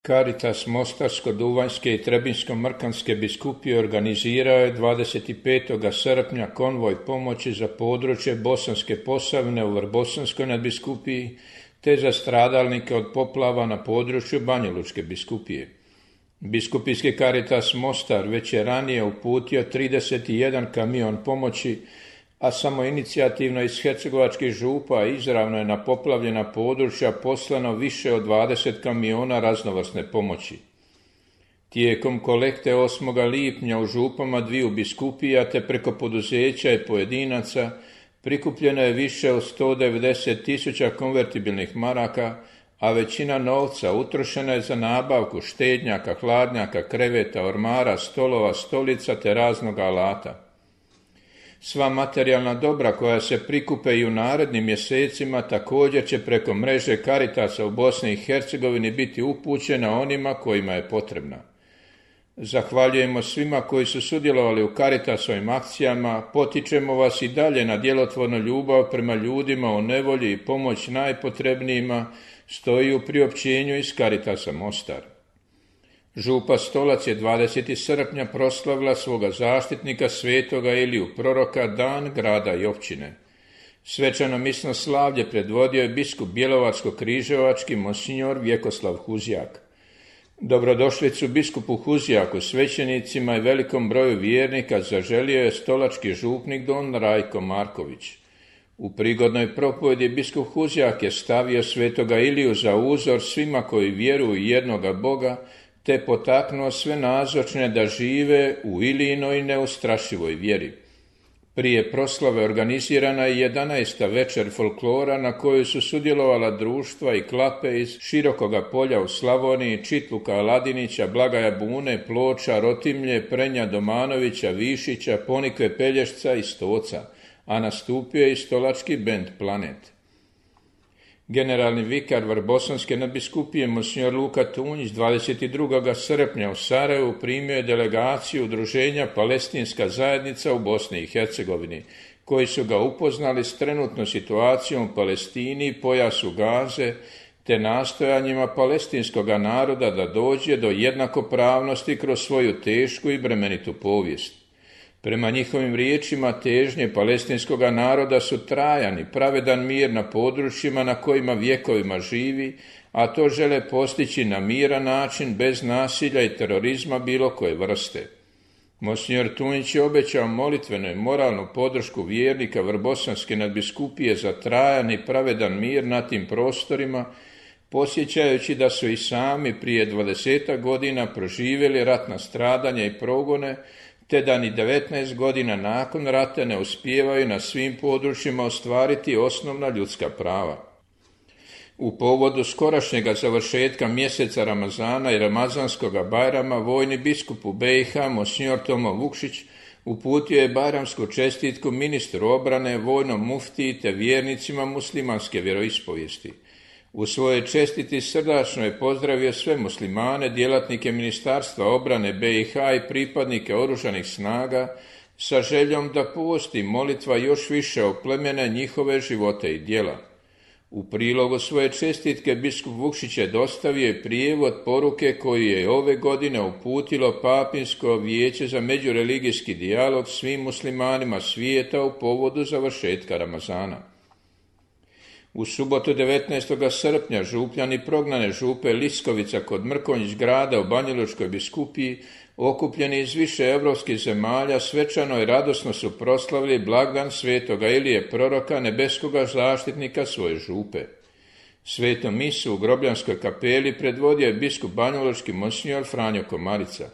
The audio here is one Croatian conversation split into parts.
Caritas Mostarsko-Duvanjske i Trebinjsko-Mrkanske biskupije organizirao je 25. srpnja konvoj pomoći za područje Bosanske Posavine u Vrbosanskoj nadbiskupiji te za stradalnike od poplava na području Banjalučke biskupije. Biskupijski Caritas Mostar već je ranije uputio 31 kamion pomoći, a samoinicijativno iz hercegovačkih župa izravno je na poplavljena područja poslano više od 20 kamiona raznovrsne pomoći. Tijekom kolekte 8. lipnja u župama dviju biskupija te preko poduzeća i pojedinaca prikupljeno je više od 190.000 konvertibilnih maraka, a većina novca utrošena je za nabavku štednjaka, hladnjaka, kreveta, ormara, stolova, stolica te raznog alata. Sva materijalna dobra koja se prikupe i u narednim mjesecima također će preko mreže Caritasa u Bosni i Hercegovini biti upućena onima kojima je potrebna. Zahvaljujemo svima koji su sudjelovali u Caritasovim akcijama, potičemo vas i dalje na djelotvornu ljubav prema ljudima u nevolji i pomoć najpotrebnijima, stoji u priopćenju iz Caritasa Mostar. Župa Stolac je 20. srpnja proslavila svoga zaštitnika svetoga Iliju proroka, dan grada i općine. Svečano misno slavlje predvodio je biskup Bjelovarsko-križevački monsinjor Vjekoslav Huzjak. Dobrodošlicu biskupu Huzjaku, svećenicima i velikom broju vjernika zaželio je stolački župnik don Rajko Marković. U prigodnoj propovjedi biskup Huzjak je stavio svetoga Iliju za uzor svima koji vjeruju u jednoga Boga, te potaknuo sve nazočne da žive u Ilijinoj neustrašivoj vjeri. Prije proslave organizirana je 11. večer folklora na kojoj su sudjelovala društva i klape iz Širokoga polja u Slavoniji, Čitluka, Aladinića, Blagaja Bune, Ploča, Rotimlje, Prenja, Domanovića, Višića, Ponikve, Pelješca i Stoca, a nastupio je i stolački bend Planet. Generalni vikar Vrbosanske nadbiskupije monsinjor Luka Tunjić 22. srpnja u Sarajevu primio je delegaciju udruženja Palestinska zajednica u Bosni i Hercegovini, koji su ga upoznali s trenutnom situacijom u Palestini, pojasu Gaze, te nastojanjima palestinskoga naroda da dođe do jednakopravnosti kroz svoju tešku i bremenitu povijest. Prema njihovim riječima težnje palestinskoga naroda su trajan i pravedan mir na područjima na kojima vjekovima živi, a to žele postići na miran način bez nasilja i terorizma bilo koje vrste. Monsinjor Tunjić je obećao molitvenu i moralnu podršku vjernika Vrbosanske nadbiskupije za trajan i pravedan mir na tim prostorima, posjećajući da su i sami prije 20 godina proživjeli ratna stradanja i progone, te da ni 19 godina nakon rata ne uspijevaju na svim područjima ostvariti osnovna ljudska prava. U povodu skorašnjega završetka mjeseca Ramazana i Ramazanskoga Bajrama vojni biskup u BiH monsinjor Tomo Vukšić uputio je bajramsku čestitku ministru obrane, vojnom muftiji te vjernicima muslimanske vjeroispovijesti. U svojoj čestiti srdačno je pozdravio sve muslimane, djelatnike Ministarstva obrane BiH i pripadnike oružanih snaga sa željom da post i molitva još više oplemene njihove živote i djela. U prilogu svoje čestitke biskup Vukšić je dostavio i prijevod poruke koju je ove godine uputilo Papinsko vijeće za međureligijski dijalog svim muslimanima svijeta u povodu završetka Ramazana. U subotu 19. srpnja župljani prognane župe Liskovica kod Mrkonjić grada u Banjalučkoj biskupiji, okupljeni iz više europskih zemalja, svečano i radosno su proslavili blagdan svetoga Ilije proroka, nebeskoga zaštitnika svoje župe. Svetu misu u Grobljanskoj kapeli predvodio je biskup banjalučki monsinjor Franjo Komarica.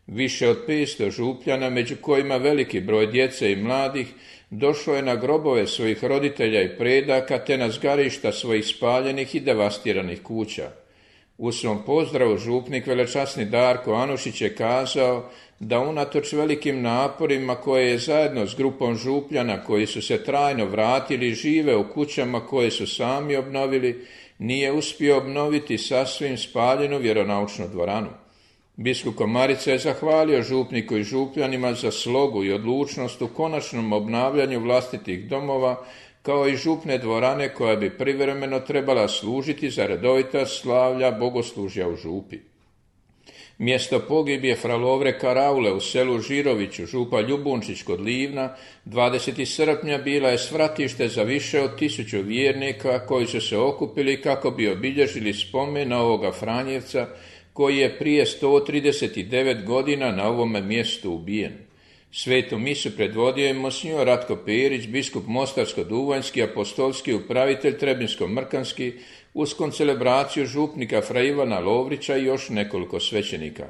Više od 500 župljana, među kojima veliki broj djece i mladih, došlo je na grobove svojih roditelja i predaka te na zgarišta svojih spaljenih i devastiranih kuća. U svom pozdravu župnik velečasni Darko Anušić je kazao da unatoč velikim naporima koje je zajedno s grupom župljana koji su se trajno vratili i žive u kućama koje su sami obnovili, nije uspio obnoviti sasvim spaljenu vjeronaučnu dvoranu. Biskup Komarica je zahvalio župniku i župljanima za slogu i odlučnost u konačnom obnavljanju vlastitih domova, kao i župne dvorane koja bi privremeno trebala služiti za redovita slavlja bogoslužja u župi. Mjesto pogibije fra Lovre Karaule u selu Žiroviću, župa Ljubunčić kod Livna, 20. srpnja bila je svratište za više od 1000 vjernika koji su se okupili kako bi obilježili spomen na ovoga Franjevca koji je prije 139 godina na ovome mjestu ubijen. Svetu misu predvodio je monsignor Ratko Perić, biskup Mostarsko-Duvanjski, apostolski upravitelj Trebinsko-Mrkanski, uz koncelebraciju župnika fra Ivana Lovrića i još nekoliko svećenika.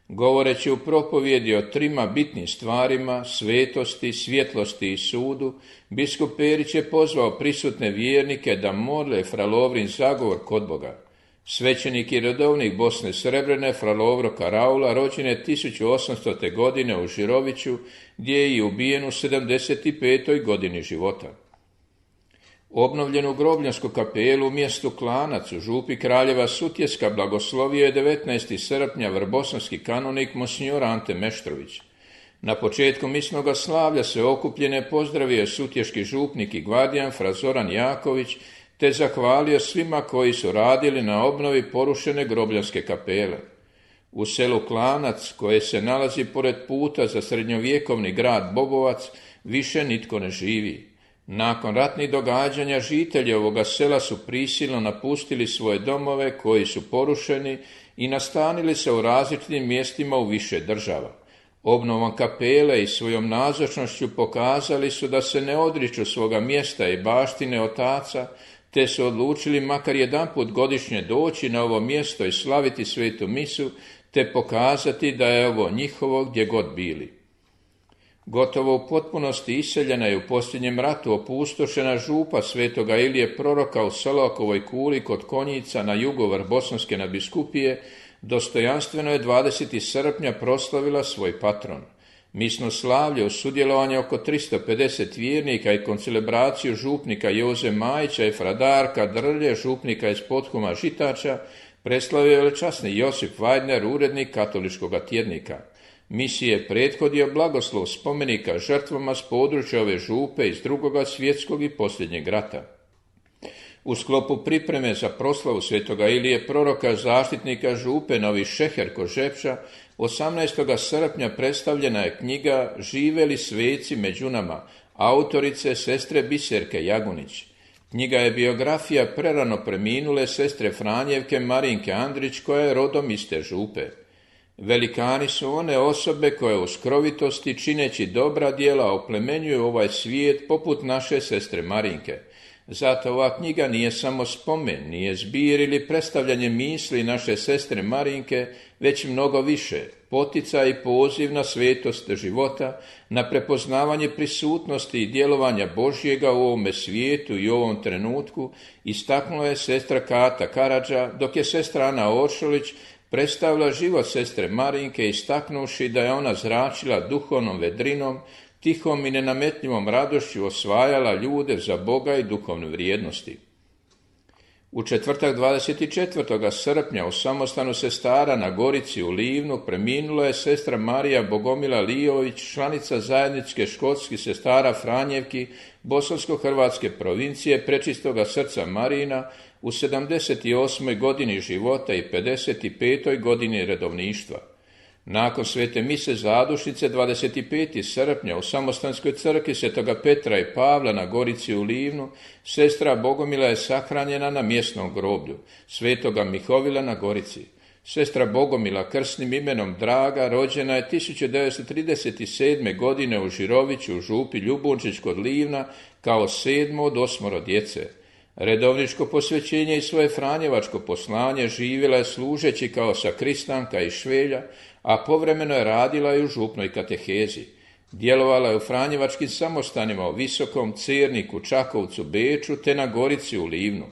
Govoreći u propovjedi o 3 bitnim stvarima, svetosti, svjetlosti i sudu, biskup Perić je pozvao prisutne vjernike da mole fra Lovrin zagovor kod Boga. Svećenik i redovnik Bosne Srebrene fra Lovro Karaula rođen je 1800. godine u Žiroviću, gdje je i ubijen u 75. godini života. Obnovljenu grobljansku kapelu u mjestu Klanac u župi Kraljeva Sutjeska blagoslovio je 19. srpnja vrbosanski kanonik monsignor Ante Meštrović. Na početku misnoga slavlja se okupljene pozdravio je sutješki župnik i gvardijan fra Zoran Jaković, te zahvalio svima koji su radili na obnovi porušene grobljanske kapele. U selu Klanac, koje se nalazi pored puta za srednjovjekovni grad Bobovac, više nitko ne živi. Nakon ratnih događanja žitelji ovoga sela su prisilno napustili svoje domove koji su porušeni i nastanili se u različitim mjestima u više država. Obnovom kapele i svojom nazočnošću pokazali su da se ne odriču svoga mjesta i baštine otaca, te su odlučili makar jedanput godišnje doći na ovo mjesto i slaviti svetu misu, te pokazati da je ovo njihovo gdje god bili. Gotovo u potpunosti iseljena je u posljednjem ratu opustošena župa svetoga Ilije Proroka u Selakovoj kuli kod Konjica na jugu Vrbosanske nadbiskupije, dostojanstveno je 20. srpnja proslavila svoj patron. Misno slavlje uz sudjelovanje oko 350 vjernika i koncelebraciju župnika Joze Majića i fradarka Drlje, župnika iz Pothuma Žitača, preslavio je velečasni Josip Vajdner, urednik katoličkog tjednika. Misiji je prethodio blagoslov spomenika žrtvama s područja ove župe iz II. Svjetskog i posljednjeg rata. U sklopu pripreme za proslavu svetoga Ilije Proroka, zaštitnika župe Novi Šeher kod Žepča, 18. srpnja predstavljena je knjiga Žive li sveci među nama, autorice sestre Biserke Jagunić. Knjiga je biografija prerano preminule sestre Franjevke Marinke Andrić, koja je rodom iz te župe. Velikani su one osobe koje u skrovitosti, čineći dobra djela, oplemenjuju ovaj svijet poput naše sestre Marinke. Zato ova knjiga nije samo spomen, nije zbir ili predstavljanje misli naše sestre Marinke, već mnogo više, poticaj i poziv na svetost života, na prepoznavanje prisutnosti i djelovanja Božjega u ovome svijetu i u ovom trenutku, istaknula je sestra Kata Karadža, dok je sestra Ana Oršolić predstavila život sestre Marinke, istaknuvši da je ona zračila duhovnom vedrinom, tihom i nenametljivom radošću osvajala ljude za Boga i duhovne vrijednosti. U četvrtak 24. srpnja u samostanu sestara na Gorici u Livnu preminula je sestra Marija Bogomila Lijović, članica zajedničke školskih sestara Franjevki Bosansko-Hrvatske provincije Prečistoga srca Marina u 78. godini života i 55. godini redovništva. Nakon svete mise zadušnice 25. srpnja u samostanskoj crkvi Svetoga Petra i Pavla na Gorici u Livnu, sestra Bogomila je sahranjena na mjesnom groblju Svetoga Mihovila na Gorici. Sestra Bogomila, krsnim imenom Draga, rođena je 1937. godine u Žiroviću u župi Ljubunčić kod Livna kao 7. od 8 djece. Redovničko posvećenje i svoje franjevačko poslanje živjela je služeći kao sakristanka i švelja, a povremeno je radila i u župnoj katehezi. Djelovala je u franjevačkim samostanima u Visokom, Cerniku, Čakovcu, Beču te na Gorici u Livnu.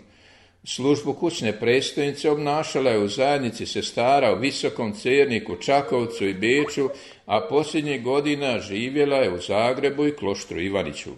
Službu kućne predstojnice obnašala je u zajednici sestara u Visokom, Cerniku, Čakovcu i Beču, a posljednjih godina živjela je u Zagrebu i Kloštru Ivaniću.